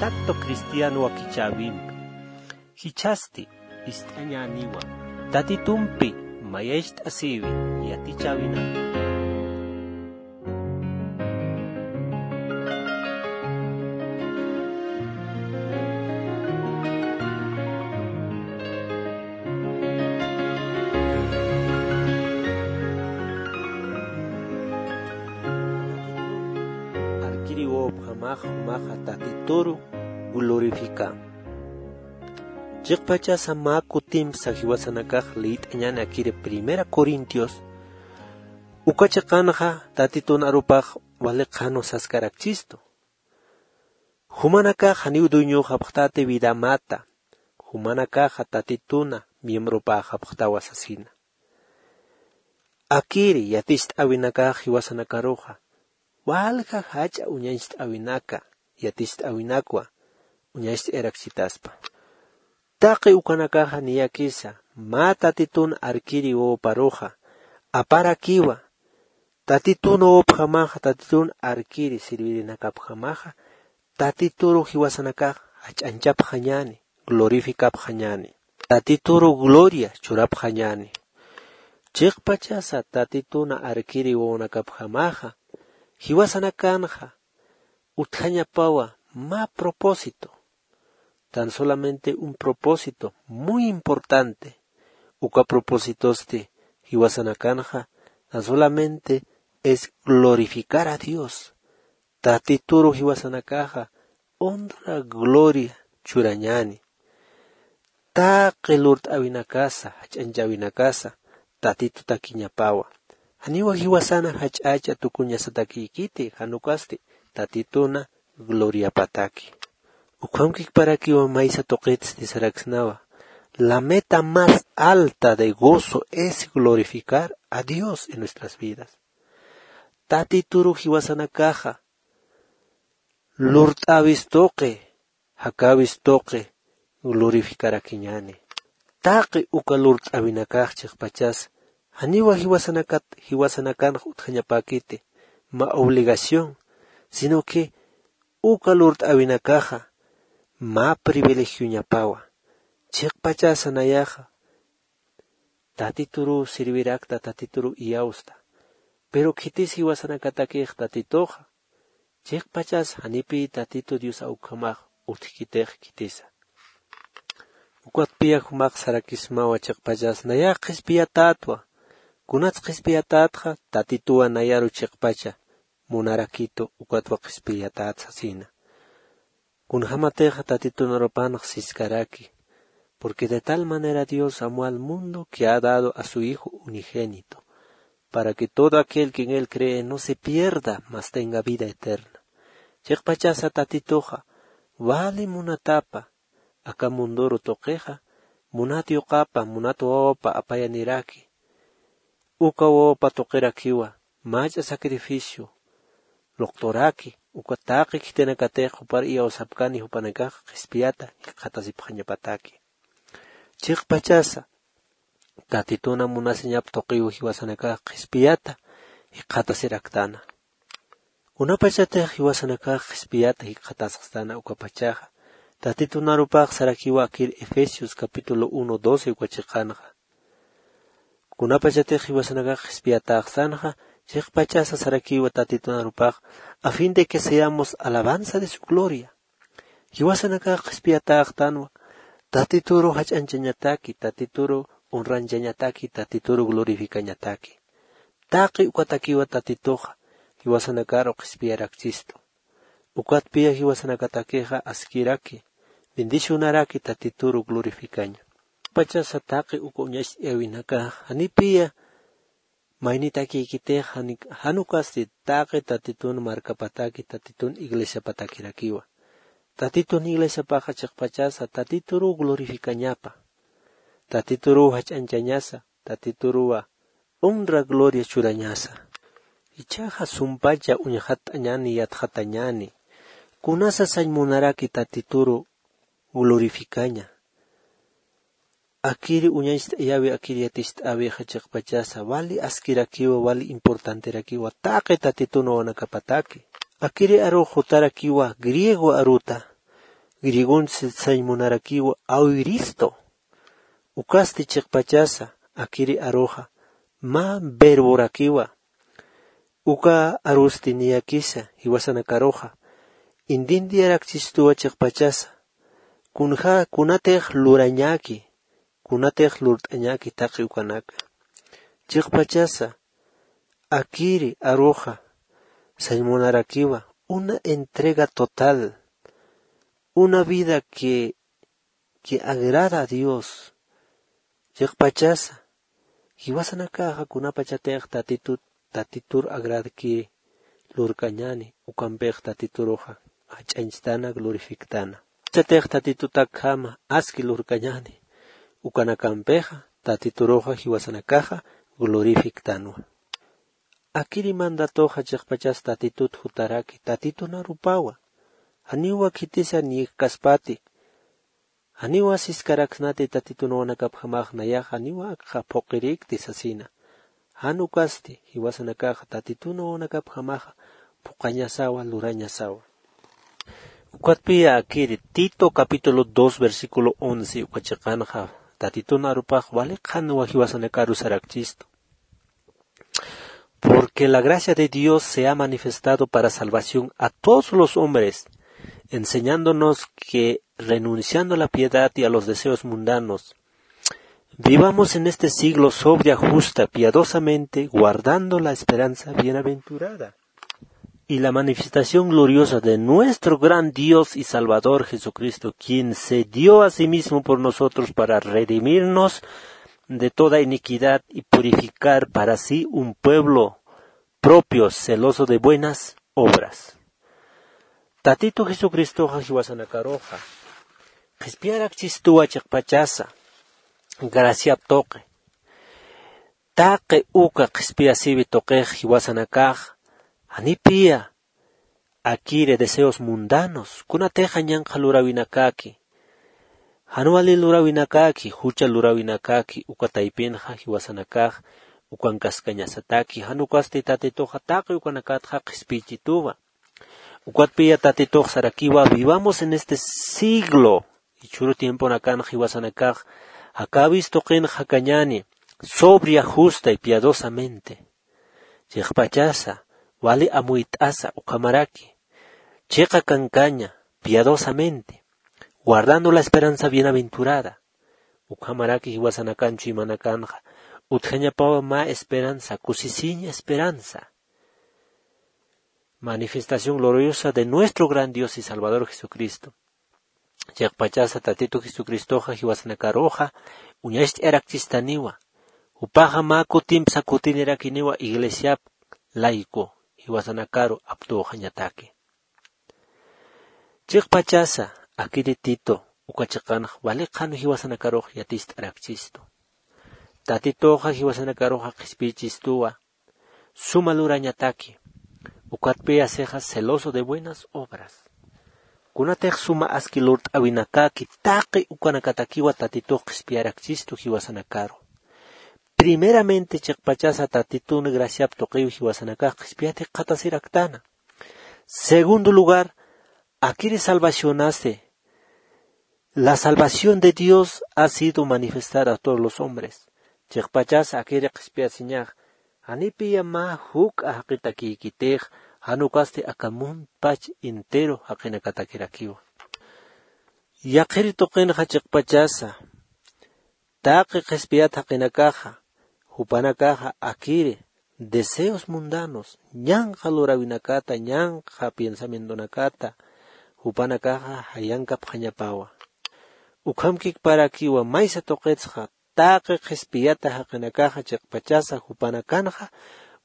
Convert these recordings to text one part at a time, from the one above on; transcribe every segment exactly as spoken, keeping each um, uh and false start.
Tatto cristiano wakichäwimpi jichhasti ist'añäniwa, tatitumpi mayacht'asïwi yatichäwinaka. Arkiri wawapjamax jumaxa tatituru glorifikä. Chiqpachasa mä kutimpsa jiwasanakax liyt'añäni akiri primera corintios uka chiqanxa tatitun arupax wali qhanu saskarakchistu. Jumanakax janiw dueñoxapxtati vida mata. Jumanakaxa tatituna miembropäxapxtawa sasina. Akiri yaticht'äwinakax jiwasanakaruxa walja jach'a uñacht'äwinaka yaticht'äwinakwa uñacht'ayarakchitaspa. Taqi ukanakaxa niyakisa mä tatitun arkiri wawaparuxa aparakiwa. Tatitun wawapjamaxa tatitun arkiri sirvirinakapjamaxa tatituru jiwasanakax jach'añchapxañäni glorificapxañäni. Tatituru gloria churapxañäni. Chiqpachasa tatituna arkiri wawanakapjamaxa jiwasanakanxa utjañapawa mä propósito. Tan solamente un propósito muy importante. Uka propósitosti jiwasanakanxa tan solamente es glorificar a dios. Tatituru jiwasanakaxa honra gloria churañäni. Taqi lurt'äwinakasa jach'añchäwinakasa tatitutakiñapawa. Janiwa jiwasana jach'acha tukuñasatakïkiti jan ukasti tatituna gloriapataki. Ukham kikparakiwa maysa tuqitsti saraksnawa. La meta más alta de gozo es glorificar a dios en nuestras vidas. Tatituru jiwasanakaxa lurt'äwis tuqi jakäwis tuqi glorificarakiñäni. Taqi uka lurt'äwinakax chiqpachas janiwa jiwasanakat jiwasanakanx utjañapäkiti mä obligación sino que uka lurt'äwinakaxa mä privilegioñapawa. Chiqpachasa nayaxa tatituru servirakta tatituru iyawsta. Pero khitis jiwasanakatakix tatituxa chiqpachas janipï tatitu dios awkhamax utjkitix khitisa. Ukatpiya jumax sarakismawa chiqpachas nayax qhispiyatätwa. Kunats qhispiyatätxa tatituwa nayaru chiqpacha munarakitu ukatwa qhispiyatät sasina. Kunjämatixa tatitun arupanx siskaraki. Porque de tal manera dios amó al mundo que ha dado a su hijo unigénito para que todo aquel que en él cree no se pierda mas tenga vida eterna. Chiqpachasa tatituxa wali munatapa aka munduru tuqixa munat yuqapa munat wawapa apayaniraki. Uka wawapa tuqirakiwa mach'a sacrificio luqturaki uka taqi khitinakatix jupar iyawsapkani jupanakax qhispiyata jikxatasipxañapataki. Chiqpachasa tatituna munasiñap tuqiw jiwasanakax qhispiyata jikxatasiraktana. Kunapachatix jiwasanakax qhispiyata jikxatasxstana ukapachaxa tatitunarupax sarakiwa akir efesios capítulo uno doce uka chiqanxa. Kunapachatix jiwasanakax qhispiyatäxsanxa chiqpachasa sarakiwa tatitunarupax a fin de que seamos alabanza de su gloria. Jiwasanakax qhispiyatäxtanwa tatituru jach'anchañataki tatituru honranchañataki tatituru glorificañataki. Taqi ukatakiwa tatituxa jiwasanakaru qhispiyarakchistu. Ukatpiya jiwasanakatakixa askiraki bendicionaraki tatituru glorificaña. Pachasa taqi uka uñacht'ayäwinakax janipiya maynitakïkitix jan ukasti taqi tatitun markapataki tatitun iglesiapatakirakiwa. Tatitun iglesiapaxa chiqpachasa tatituruw glorificañapa. Tatituruw jach'añchañasa tatituruwa honra gloria churañasa. Ichhaxa sumpacha uñxatt'añäni yatxatañäni kunasa sañ munaraki tatituru glorificaña. Akiri uñacht'ayäwi akiri yaticht'äwixa chiqpachasa wali askirakiwa wali importanterakiwa taqi tatitun wawanakapataki. Akiri arux jutarakiwa griego aruta griegonsi sañ munarakiwa auristo. Ukasti chiqpachasa akiri aruxa mä verborakiwa. Uka arusti niyakisa jiwasanakaruxa entiendiyarakchistuwa chiqpachasa kunja kunatix lurañäki, kunatix lurt'añäki taqi ukanaka. Chiqpachasa akiri aruxa sañ munarakiwa una entrega total, una vida que que agrada a Dios. Chiqpachasa jiwasanakaxa kunapachatix tatitut tatitur agradkiri lurkañäni ukampix tatituruxa jach'añchtana glorifiktana. Chatix tatitutakjama aski lurkañäni ukanakampixa tatituruxa jiwasanakaxa glorifiktanwa. Akiri mandatoxa chiqpachas tatitut jutaraki tatitun arupawa. Janiwa khitisa niyikkaspati janiwa siskaraksnati tatitun wawanakapjamax nayax janiwa akxa phuqhirikti sasina. Jan ukasti jiwasanakaxa tatitun wawanakapjamaxa phuqhañasawa lurañasawa. Ukatpiya akiri tito capítulo dos versículo once uka chiqanxa tatitun arupax wali qhanwa jiwasanakaru sarakchistu. Porque la gracia de Dios se ha manifestado para salvación a todos los hombres, enseñándonos que, renunciando a la piedad y a los deseos mundanos, vivamos en este siglo sobria, justa, piadosamente, guardando la esperanza bienaventurada y la manifestación gloriosa de nuestro gran Dios y Salvador Jesucristo, quien se dio a sí mismo por nosotros para redimirnos de toda iniquidad y purificar para sí un pueblo propio, celoso de buenas obras. Tatitu Jesucristoxa jiwasanakaruxa qhispiyarakchistuwa chiqpachasa graciap tuqi. Taqi uka qhispiyasiwi tuqix jiwasanakax janipiya akiri deseos mundanos kunatixa ñanqha luräwinakaki, jan wali luräwinakaki, jucha luräwinakaki uka taypinxa jiwasanakax ukankaskañasataki, jan ukasti tatituxa taqi ukanakatxa qhispiychituwa. Ukatpiya tatitux sarakiwa vivamos en este siglo, jichhüru tiemponakanxa jiwasanakax jakäwis tuqinx jakañäni, sobria, justa y piadosamente. Chiqpachasa wali amuyt'asa ukhamaraki chiqa kankaña, piadosamente, guardando la esperanza bienaventurada. Ukhamaraki jiwasanakanchu imanakanxa utjañapawa mä esperanza, kusisiña esperanza. Manifestación gloriosa de nuestro gran Dios y Salvador Jesucristo. Chiqpachasa tatitu Jesucristoxa jiwasanakaruxa uñacht'ayarakchistaniwa. Jupaxa mä kutimpsa kutinirakiniwa iglesiap layku jiwasanakaru aptuxañataki. Chiqpachasa akiri tito uka chiqanx wali qhanu jiwasanakarux yatist'arakchistu. Tatituxa jiwasanakaruxa qhispiychistuwa suma lurañataki. Ukatpiyasixa celoso de buenas obras. Kunatix suma aski lurt'äwinakaki taqi ukanakatakiwa tatitux qhispiyarakchistu jiwasanakaru. Primeramente chiqpachasa tatitun graciap tuqiw jiwasanakax qhispiyat jikxatasiraktana. Segundo lugar, akiri salvacionasi la salvación de Dios ha sido manifestada a todos los hombres. Chiqpachasa akiri qhispiyasiñax janipiya mä juk'a jaqitakïkitix, jan ukasti aka muntpach entero jaqinakatakirakiwa. Yaqhiri tuqinxa chiqpachasa taqi qhispiyat jaqinakaxa jupanakaxa akiri deseos mundanos, ñanqha luräwinakata, ñanqha piensamientonakata jupanakaxa jayankapxañapawa. Ukhamkikparakiwa maysa tuqitsxa taqi qhispiyata jaqinakaxa chiqpachasa jupanakanxa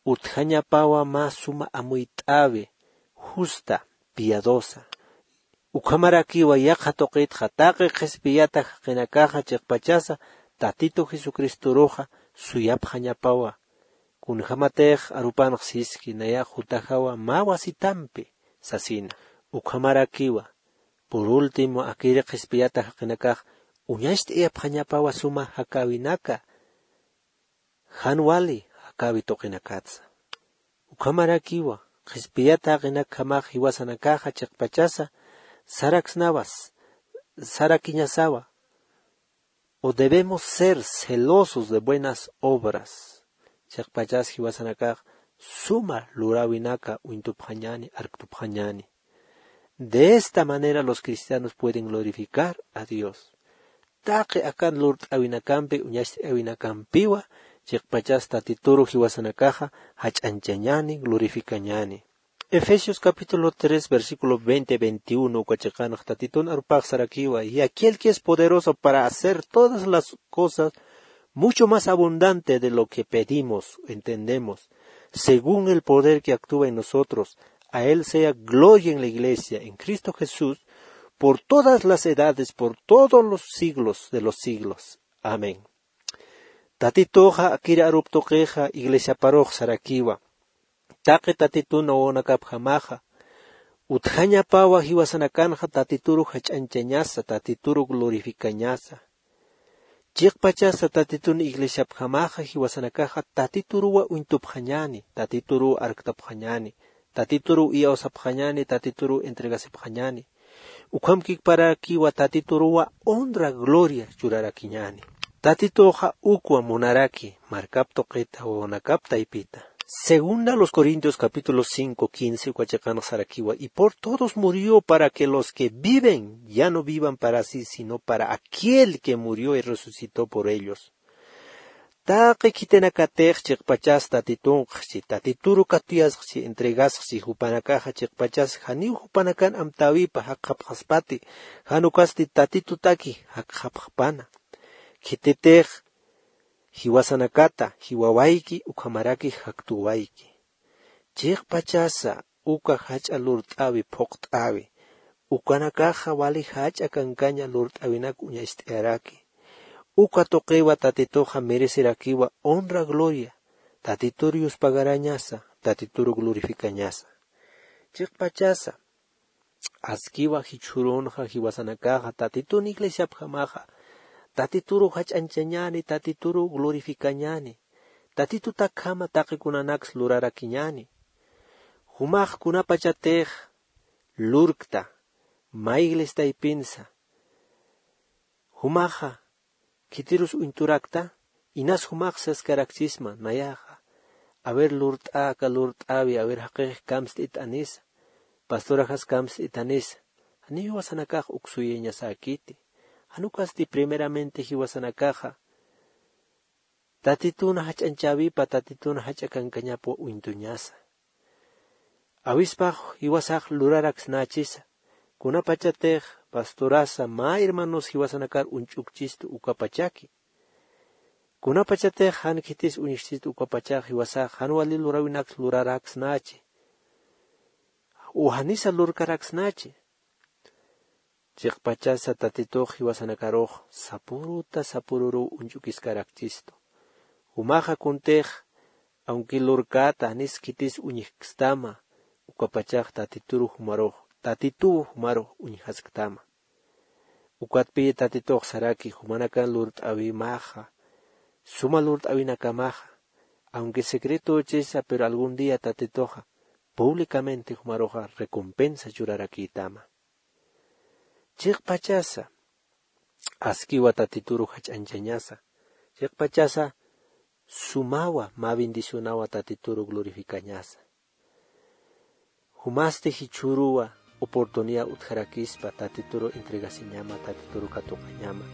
utjañapawa mä suma amuyt'äwi, justa, piadosa. Ukhamarakiwa yaqha tuqitxa taqi qhispiyata jaqinakaxa chiqpachasa tatitu jesucristoruxa suyapxañapawa. Kunjämatix arupanx siski nayax jutajawa mä wasitampi sasina. Ukhamarakiwa por último akiri qhispiyata jaqinakax uñacht'ayapxañapawa suma jakäwinaka jan wali jakäwi tuqinakatsa. Ukhamarakiwa qhispiyata jaqinakjamax jiwasanakaxa chiqpachasa saraksnawas sarakiñasawa. O debemos ser celosos de buenas obras. Chiqpachas jiwasanakax suma luräwinaka uñtupxañäni, arktupxañäni. De esta manera los cristianos pueden glorificar a Dios. Taqi akan lurt'äwinakampi, uñacht'äwinakampiwa, chiqpachas Tatituru jiwasanakaxa jach'añchañäni, glorificañäni. Efesios capítulo tres, versículo veinte, veintiuno, uka chiqanx Tatitun arupax sarakiwa: "Y aquel que es poderoso para hacer todas las cosas mucho más abundante de lo que pedimos, entendemos, según el poder que actúa en nosotros, a él sea gloria en la iglesia, en Cristo Jesús, por todas las edades, por todos los siglos de los siglos. Amén". Tatituxa akir arup tuqixa iglesiaparux sarakiwa. Taqi Tatitun wawanakapjamaxa utjañapawa jiwasanakanxa Tatituru jach'añchañasa, Tatituru glorificañasa. Chiqpachasa Tatitun iglesiapjamaxa jiwasanakaxa Tatituruwa uñtupxañäni, Tatituruw arktapxañäni, Tatituruw iyawsapxañäni, Tatituruw entregasipxañäni. Ukhamkiparakiwa Tatituruwa honra, gloria churarakiñäni. Tatituxa ukwa munaraki markap tuqita, wawanakap taypita. Segunda los Corintios capítulo cinco, quince, uka chiqanx sarakiwa: "Y por todos murió, para que los que viven ya no vivan para sí, sino para aquel que murió y resucitó por ellos". Taqi khitinakatix chiqpachas Tatitunxchi, Tatituru katuyasxchi, entregasxchi, jupanakaxa chiqpachas janiw jupanakan amtäwipa jakxapxaspati, jan ukasti Tatitutaki jakxapxpana. Khititix jiwasanakata jiwawayki, ukhamaraki jaktuwayki. Chiqpachasa uka jach'a lurt'äwi, phuqt'äwi, ukanakaxa wali jach'a kankaña lurt'äwinak uñacht'ayaraki. Uka tuqiwa Tatituxa merecerakiwa honra, gloria, Tatitur yuspagarañasa, Tatituru glorificañasa. Chiqpachasa askiwa jichhürunxa jiwasanakaxa Tatitun iglesiapjamaxa Tatituru jach'añchañäni, Tatituru glorificañäni, Tatitutakjama taqi kunanaks lurarakiñäni. Jumax kunapachatix lurkta mä iglesia taypinsa, jumaxa khitirus uñturakta, inas jumax saskarakchisma, nayaxa, a ver lurt'a, aka lurt'äwi, a ver jaqix kamst'it anisa, pastoraxas kamst'it anisa, janiw jiwasanakax uk suyañasäkiti. Jan ukasti primeramente jiwasanakaxa Tatitun jach'añchäwipa, Tatitun jach'a kankañapwa uñtuñasa. Awispax jiwasax luraraksnächisa, kunapachatix pastorasa mä hermanos jiwasanakar uñch'ukchistu ukapachaki. Kunapachatix jan khitis uñjchistu ukapachax jiwasax jan wali luräwinaks luraraksnächi. U janisa lurkaraksnächi. Chiqpachasa Tatitux jiwasanakarux sapüruta sapüruruw uñch'ukiskarakchistu. Jumaxa kuntix, aunque lurkäta janis khitis uñjkstama, ukapachax Tatituru jumarux, Tatituw jumarux uñjasktama. Ukatpï Tatitux saraki jumanakan lurt'äwimaxa, suma lurt'äwinakamaxa, aunque secretochisa, pero algún día Tatituxa públicamente jumaruxa recompensa churarakïtama. Chiqpachasa askiwa Tatituru jach'añchañasa, chiqpachasa sumawa, mä bendicionawa Tatituru glorificañasa. Jumasti jichhüruwa oportunidad utjarakispa Tatituru entregasiñama, Tatituru katuqañama.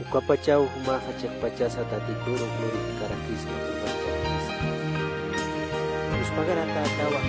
Ukapachaw jumaxa chiqpachasa Tatituru glorificarakispa, glorificarakispa. Yuspagaratätawa.